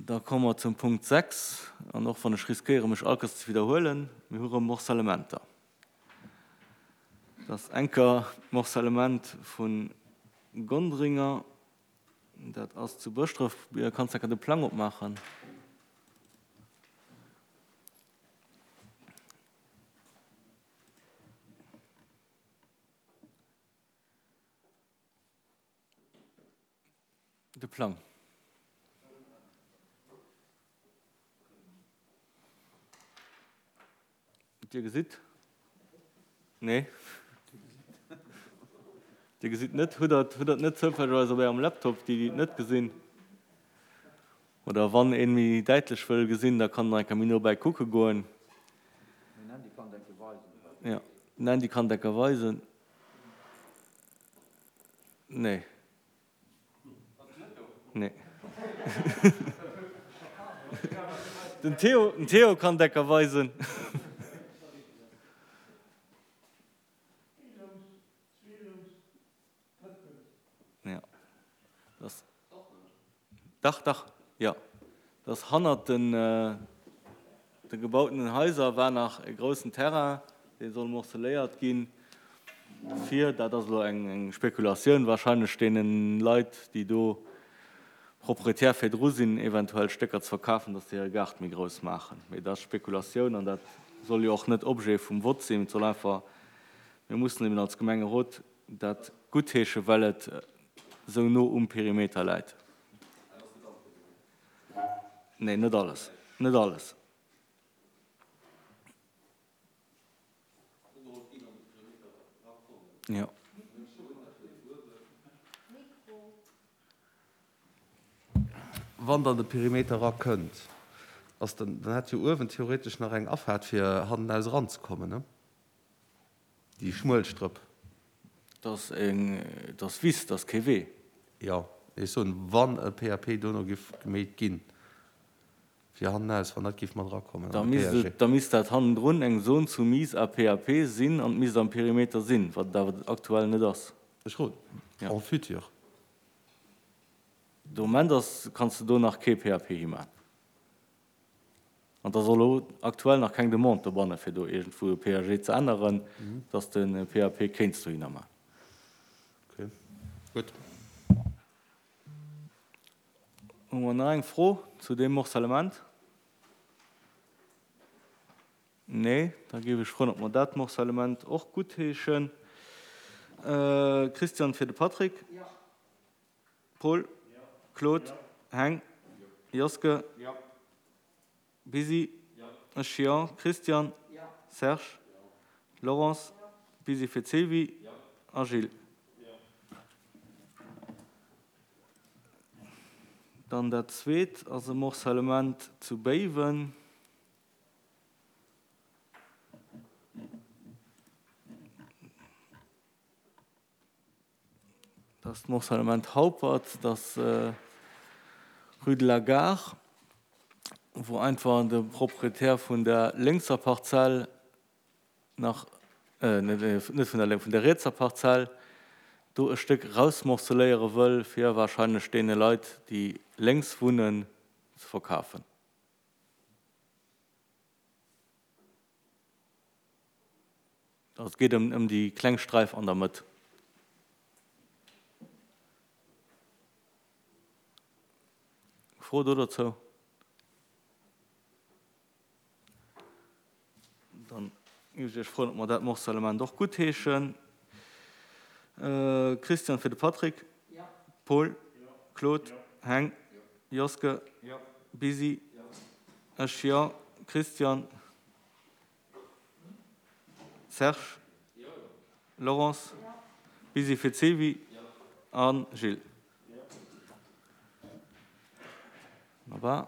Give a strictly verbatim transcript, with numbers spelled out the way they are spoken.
Da komme mer zum Punkt sechs, an och wann ech riskéiere mech all Kéiers ze widderhuelen, mir hu rëm Morcellementer. Dat ass enker d'Morcellement vu Gondringer, dat ass zu Bëschdref. Kanns enker de Plang opmaachen? De Plang. Dir gesitt? Nee. Dir gesitt net? Hutt Der hutt Der et net zoufällegerweis op Ärem Laptop, déi, déi et net gesinn? Oder wann een méi däitlech wëll gesinn, da kann en eng Kéier méi no bäi kucke goen. Den Andy kann et enke weisen. Jo, den Andy kann et enke weisen. Nee. Nee. Den Theo, den Theo kann et enke weisen. Ja. Das, dach, dach, jo. Das hannert den, de gebautenen Haiser war nach e groussen Terrain, dee soll morceléiert ginn, fir, dat ass elo eng, eng Spekulatioun wahrscheinlech, deene Leit, déi do Proprietär virdru sinn, eventuell Stécker ze verkafen, dass se hire Gaart méi grouss maachen. Mee dat ass Spekulatioun an dat soll jo och net Objet vum Vott sinn. Et soll einfach, mir mussen eben als Gemengerot dat guttheeschen, well et esou no um Perimeter läit. Nee, net alles, net alles. Jo. Wann dann de Perimeter erakënnt, ass dann, dann hätt jo uewen theoretesch nach eng Afaart fir hannenaus eranzekommen, ne? Déi schmuel Strëpp. Dat ass eng, dat ass Wiss, dat ass kee Wee. Jo, ech soen, wann e P A P dono giff gemeet ginn, fir hannenaus, wann dat giff mat erakommen Da an de misst P A G. et, da misst dat hannendrun eng Zone soumise à P A P sinn an et misst am Perimeter sinn, wat et awer aktuell net ass. Ech roden, Ja. en futur. De Moment ass, kanns de do nach kee P A P himan. An et ass och elo aktuell nach keng Demande dobanne fir do iergendwou e P A G ze änneren, dass de e P A P kéints dohinner man. Okay, gutt. Hu mer nach eng Fro zu deem Morcellement? Nee, da géif ech froen, ob mer dat Morcellement och guttheeschen. Christian fir de Patrick. Paul, Claude, Heng, Joske, Busy, ech, jo, Christian, Serge, Laurence, Busy fir d'Sylvie a Gilles. Dann dat zweet ass e Morcellement zu Béiwen. Dat ass d'Morcellement Haupert, dat ass Rue de la Gare, wou einfach de Proprietär vun der lénkser Parzell nach, net vun der lénk, vun der rietser Parzell do e Stéck rausmorceléiere wëll, fir wahrscheinlech deene Leit, déi lénks wunnen, ze verkafen. Also et geet ëm ëm déi kleng Sträif an der Mëtt. Fro do dozou? Dann géif ech Iech froen, ob mer dat Morcellement och guttheeschen. Christian fir de Patrick. Paul. Claude. Heng. Joske. Busy. Ech, jo. Christian. Serge. Laurence. Busy fir d'Sylvie a Gilles. Wonnerbar.